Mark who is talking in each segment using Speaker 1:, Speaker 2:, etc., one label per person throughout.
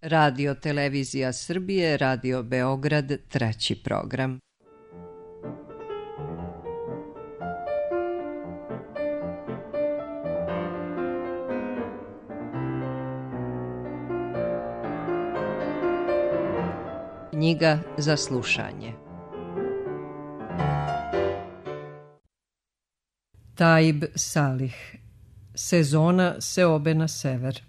Speaker 1: Radio Televizija Srbije, Radio Beograd, 3. program. Knjiga za slušanje. Taib Salih. Sezona seobe na sever.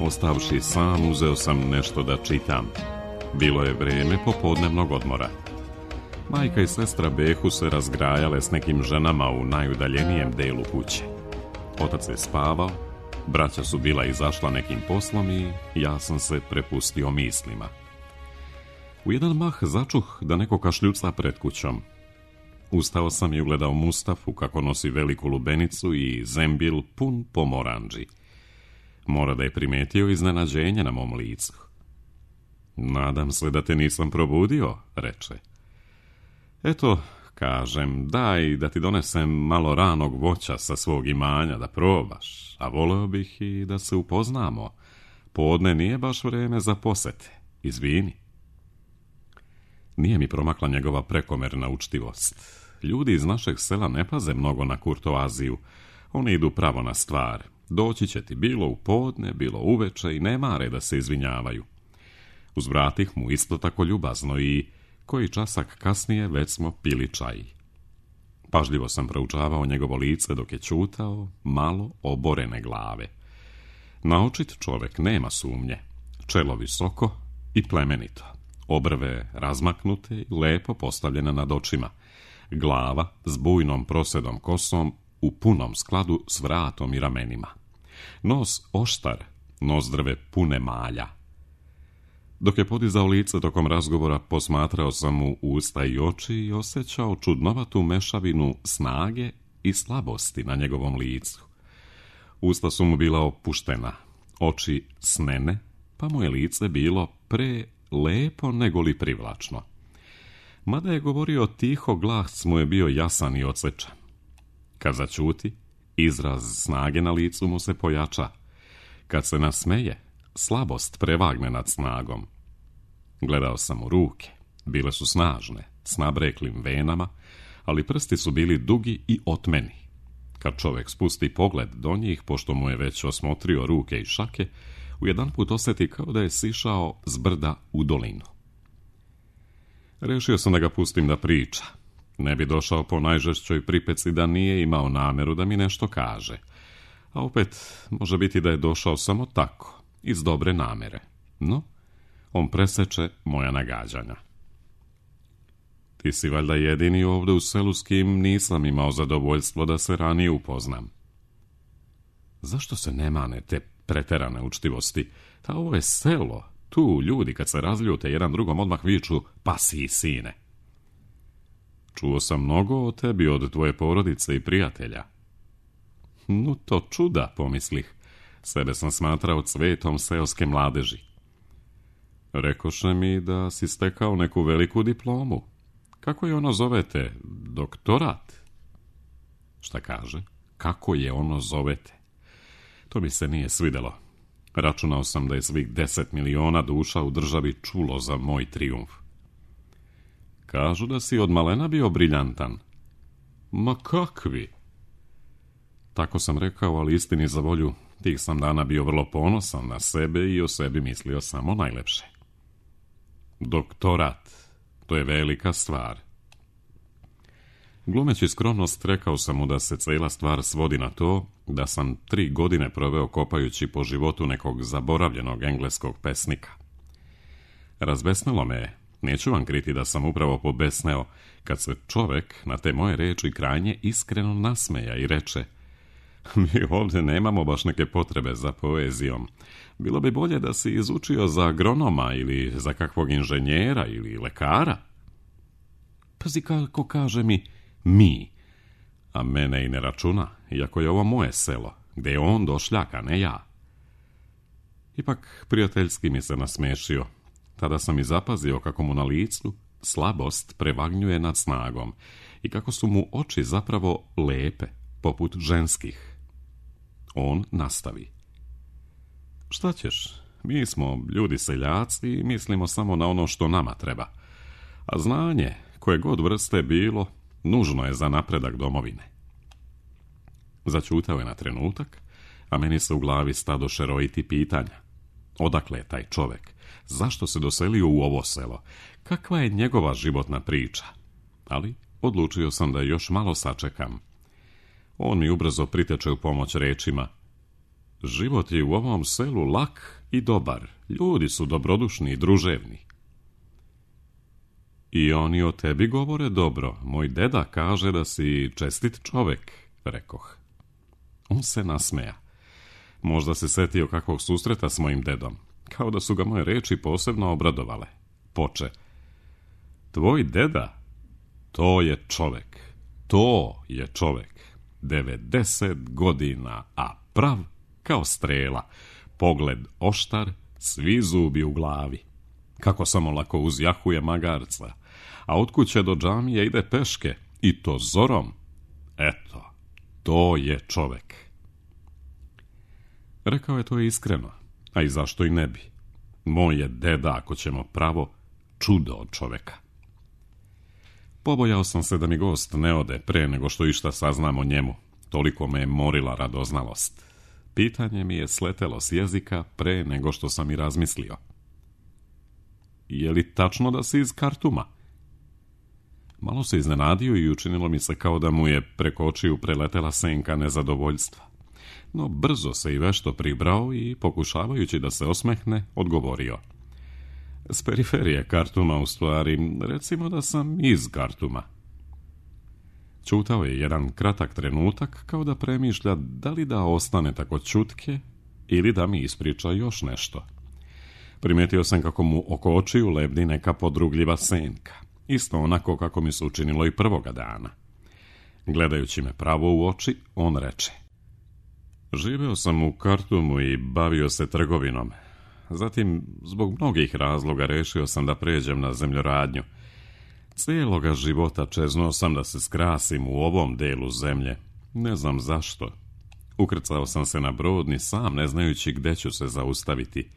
Speaker 2: Ostavši sam, uzeo sam nešto da čitam. Bilo je vreme popodnevnog odmora. Majka i sestra Behu se razgrajale s nekim ženama u najudaljenijem delu kuće. Otac je spavao, braća su bila izašla nekim poslom i ja sam se prepustio mislima. U jedan mah začuh da neko kašljuca pred kućom. Ustao sam i ugledao Mustafu kako nosi veliku lubenicu i zembil pun pomoranđi. Mora da je primetio iznenađenje na mom licu. Nadam se da te nisam probudio, reče. Eto, kažem, daj da ti donesem malo ranog voća sa svog imanja da probaš, a voleo bih i da se upoznamo. Podne nije baš vreme za posete, izvini. Nije mi promakla njegova prekomerna učtivost. Ljudi iz našeg sela ne paze mnogo na kurtoaziju, oni idu pravo na stvar. Doći će ti bilo u podne, bilo uveče i ne mare da se izvinjavaju. Uzvratih mu isto tako ljubazno i koji časak kasnije već smo pili čaj. Pažljivo sam proučavao njegovo lice dok je ćutao, malo oborene glave. Naočit čovjek, nema sumnje, čelo visoko i plemenito, obrve razmaknute i lepo postavljene nad očima, glava s bujnom prosedom kosom u punom skladu s vratom i ramenima. Nos oštar, nozdrve pune malja. Dok je podizao lice tokom razgovora, posmatrao sam mu usta i oči i osjećao čudnovatu mešavinu snage i slabosti na njegovom licu. Usta su mu bila opuštena, oči snene, pa mu je lice bilo pre lepo nego li privlačno. Mada je govorio tiho, glas mu je bio jasan i odsečan. Kad zaćuti, izraz snage na licu mu se pojača. Kad se nasmeje, slabost prevagne nad snagom. Gledao sam u ruke. Bile su snažne, s nabreklim venama, ali prsti su bili dugi i otmeni. Kad čovjek spusti pogled do njih, pošto mu je već osmotrio ruke i šake, ujedanput osjeti kao da je sišao s brda u dolinu. Rešio sam da ga pustim da priča. Ne bi došao po najžešćoj pripeci da nije imao nameru da mi nešto kaže. A opet, može biti da je došao samo tako, iz dobre namere. No, on preseče moja nagađanja. Ti si valjda jedini ovdje u selu s kim nisam imao zadovoljstvo da se ranije upoznam. Zašto se ne mane te preterane učtivosti? Ta ovo je selo. Tu ljudi kad se razljute jedan drugom odmah viču pa si sine. Čuo sam mnogo o tebi od tvoje porodice i prijatelja. No to čuda, pomislih. Sebe sam smatrao cvetom seoske mladeži. Rekoše mi da si stekao neku veliku diplomu. Kako je ono zovete? Doktorat? Šta kaže? Kako je ono zovete? To mi se nije svidelo. Računao sam da je svih 10 miliona duša u državi čulo za moj trijumf. Kažu da si od malena bio briljantan. Ma kakvi? Tako sam rekao, ali istini za volju, tih sam dana bio vrlo ponosan na sebe i o sebi mislio samo najlepše. Doktorat, to je velika stvar. Glumeći skromnost, rekao sam mu da se cijela stvar svodi na to da sam 3 godine proveo kopajući po životu nekog zaboravljenog engleskog pesnika. Razbesnilo me je. Neću vam kriti da sam upravo pobesneo kad se čovjek na te moje reči krajnje iskreno nasmeja i reče: mi ovdje nemamo baš neke potrebe za poezijom. Bilo bi bolje da si izučio za agronoma ili za kakvog inženjera ili lekara. Pazi kako kaže mi, a mene i ne računa, iako je ovo moje selo, gdje je on došljak, a ne ja. Ipak prijateljski mi se nasmešio. Tada sam i zapazio kako mu na licu slabost prevagnjuje nad snagom i kako su mu oči zapravo lepe, poput ženskih. On nastavi. Šta ćeš? Mi smo ljudi seljaci i mislimo samo na ono što nama treba. A znanje, koje god vrste bilo, nužno je za napredak domovine. Začutao je na trenutak, a meni se u glavi stadoše rojiti pitanja. Odakle je taj čovjek? Zašto se doselio u ovo selo? Kakva je njegova životna priča? Ali odlučio sam da još malo sačekam. On mi ubrzo priteče u pomoć rečima. Život je u ovom selu lak i dobar. Ljudi su dobrodušni i druževni. I oni o tebi govore dobro. Moj deda kaže da si čestit čovjek, rekoh. On se nasmeja. Možda se setio kakvog susreta s mojim dedom. Kao da su ga moje reči posebno obradovale. Poče. Tvoj deda? To je čovjek. To je čovjek. 90 godina, a prav kao strela. Pogled oštar, svi zubi u glavi. Kako samo lako uzjahuje magarca. A od kuće do džamije ide peške. I to zorom. Eto, to je čovjek. Rekao je to iskreno. A i zašto i ne bi? Moj je deda, ako ćemo pravo, čudo od čovjeka. Pobojao sam se da mi gost ne ode pre nego što išta saznam o njemu. Toliko me je morila radoznalost. Pitanje mi je sletelo s jezika pre nego što sam i razmislio. Je li tačno da si iz Kartuma? Malo se iznenadio i učinilo mi se kao da mu je preko očiju preletela senka nezadovoljstva. No brzo se i vešto pribrao i, pokušavajući da se osmehne, odgovorio. S periferije Kartuma, u stvari, recimo da sam iz Kartuma. Čutao je jedan kratak trenutak, kao da premišlja da li da ostane tako čutke ili da mi ispriča još nešto. Primijetio sam kako mu oko očiju lebdi neka podrugljiva senka, isto onako kako mi se učinilo i prvoga dana. Gledajući me pravo u oči, on reče. Živeo sam u Kartumu i bavio se trgovinom. Zatim, zbog mnogih razloga, rešio sam da pređem na zemljoradnju. Cijeloga života čeznuo sam da se skrasim u ovom delu zemlje. Ne znam zašto. Ukrcao sam se na brod ni sam ne znajući gde ću se zaustaviti.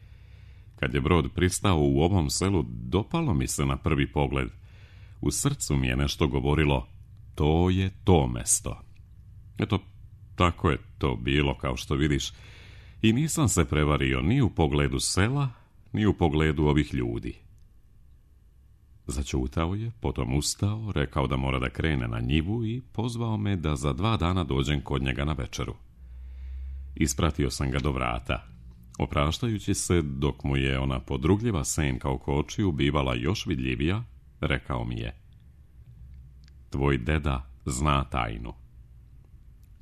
Speaker 2: Kad je brod pristao u ovom selu, dopalo mi se na prvi pogled. U srcu mi je nešto govorilo, to je to mesto. Eto, tako je to bilo, kao što vidiš. I nisam se prevario ni u pogledu sela, ni u pogledu ovih ljudi. Začutao je, potom ustao, rekao da mora da krene na njivu i pozvao me da za 2 dana dođem kod njega na večeru. Ispratio sam ga do vrata. Opraštajući se, dok mu je ona podrugljiva senka oko očiju bivala još vidljivija, rekao mi je. Tvoj deda zna tajnu.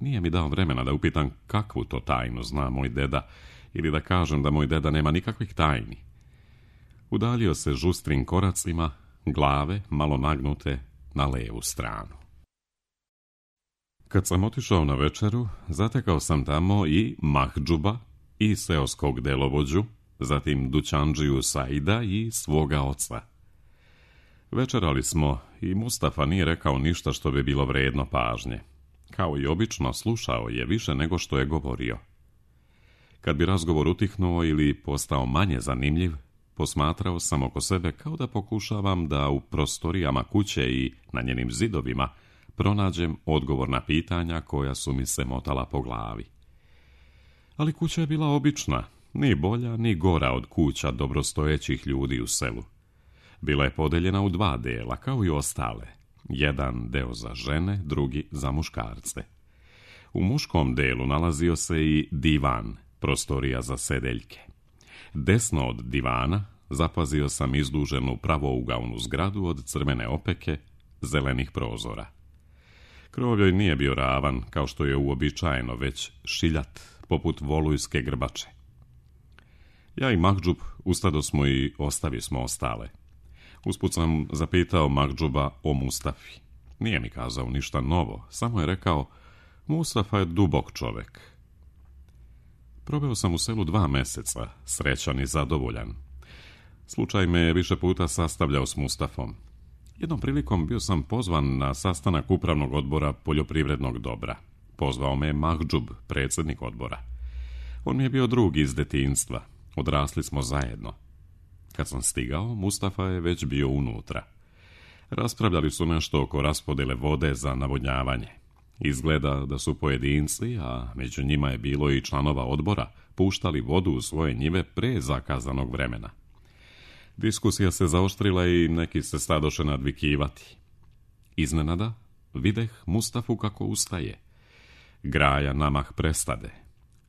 Speaker 2: Nije mi dao vremena da upitam kakvu to tajnu zna moj deda, ili da kažem da moj deda nema nikakvih tajni. Udaljio se žustrim koracima, glave malo nagnute na levu stranu. Kad sam otišao na večeru, zatekao sam tamo i Mahdžuba, i seoskog delovođu, zatim dućandžiju Saida i svoga oca. Večerali smo i Mustafa nije rekao ništa što bi bilo vredno pažnje. Kao i obično, slušao je više nego što je govorio. Kad bi razgovor utihnuo ili postao manje zanimljiv, posmatrao sam oko sebe kao da pokušavam da u prostorijama kuće i na njenim zidovima pronađem odgovor na pitanja koja su mi se motala po glavi. Ali kuća je bila obična, ni bolja ni gora od kuća dobrostojećih ljudi u selu. Bila je podeljena u 2 dela, kao i ostale. Jedan deo za žene, drugi za muškarce. U muškom delu nalazio se i divan, prostorija za sedeljke. Desno od divana zapazio sam izduženu pravougaonu zgradu od crvene opeke, zelenih prozora. Krov joj nije bio ravan, kao što je uobičajeno, već šiljat, poput volujske grbače. Ja i Mahdžub ustadosmo i ostavismo ostale. Usput sam zapitao Mahdžuba o Mustafi. Nije mi kazao ništa novo, samo je rekao, Mustafa je dubok čovek. Probao sam u selu 2 meseca, srećan i zadovoljan. Slučaj me je više puta sastavljao s Mustafom. Jednom prilikom bio sam pozvan na sastanak upravnog odbora poljoprivrednog dobra. Pozvao me Mahdžub, predsjednik odbora. On mi je bio drug iz detinjstva. Odrasli smo zajedno. Kad sam stigao, Mustafa je već bio unutra. Raspravljali su nešto oko raspodjele vode za navodnjavanje. Izgleda da su pojedinci, a među njima je bilo i članova odbora, puštali vodu u svoje njive pre zakazanog vremena. Diskusija se zaoštrila i neki se stadoše nadvikivati. Iznenada videh Mustafu kako ustaje. Graja namah prestade.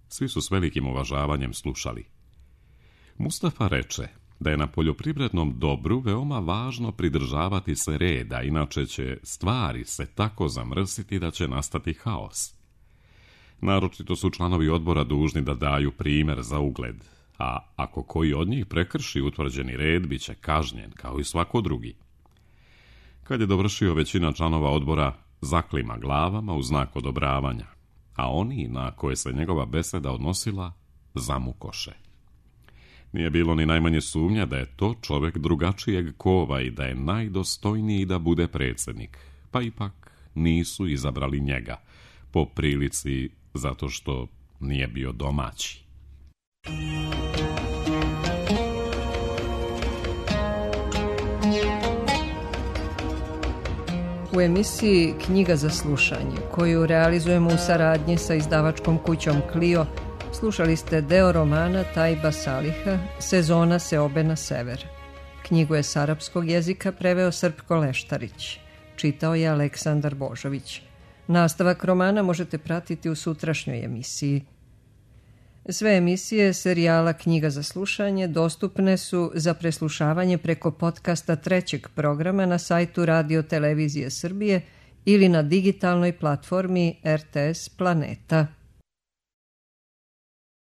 Speaker 2: Svi su s velikim uvažavanjem slušali. Mustafa reče da je na poljoprivrednom dobru veoma važno pridržavati se reda, inače će stvari se tako zamrsiti da će nastati haos. Naročito su članovi odbora dužni da daju primjer za ugled, a ako koji od njih prekrši utvrđeni red, bit će kažnjen kao i svako drugi. Kad je dovršio, većina članova odbora zaklima glavama u znak odobravanja, a oni na koje se njegova beseda odnosila zamukoše. Nije bilo ni najmanje sumnja da je to čovjek drugačijeg kova i da je najdostojniji da bude predsjednik, pa ipak nisu izabrali njega, po prilici zato što nije bio domaći.
Speaker 1: U emisiji Knjiga za slušanje, koju realizujemo u saradnji sa izdavačkom kućom Clio, slušali ste deo romana Tajba Saliha Sezona seobe na sever. Knjigu je s arapskog jezika preveo Srpko Leštarić. Čitao je Aleksandar Božović. Nastavak romana možete pratiti u sutrašnjoj emisiji. Sve emisije serijala Knjiga za slušanje dostupne su za preslušavanje preko podcasta trećeg programa na sajtu Radio Televizije Srbije ili na digitalnoj platformi RTS Planeta.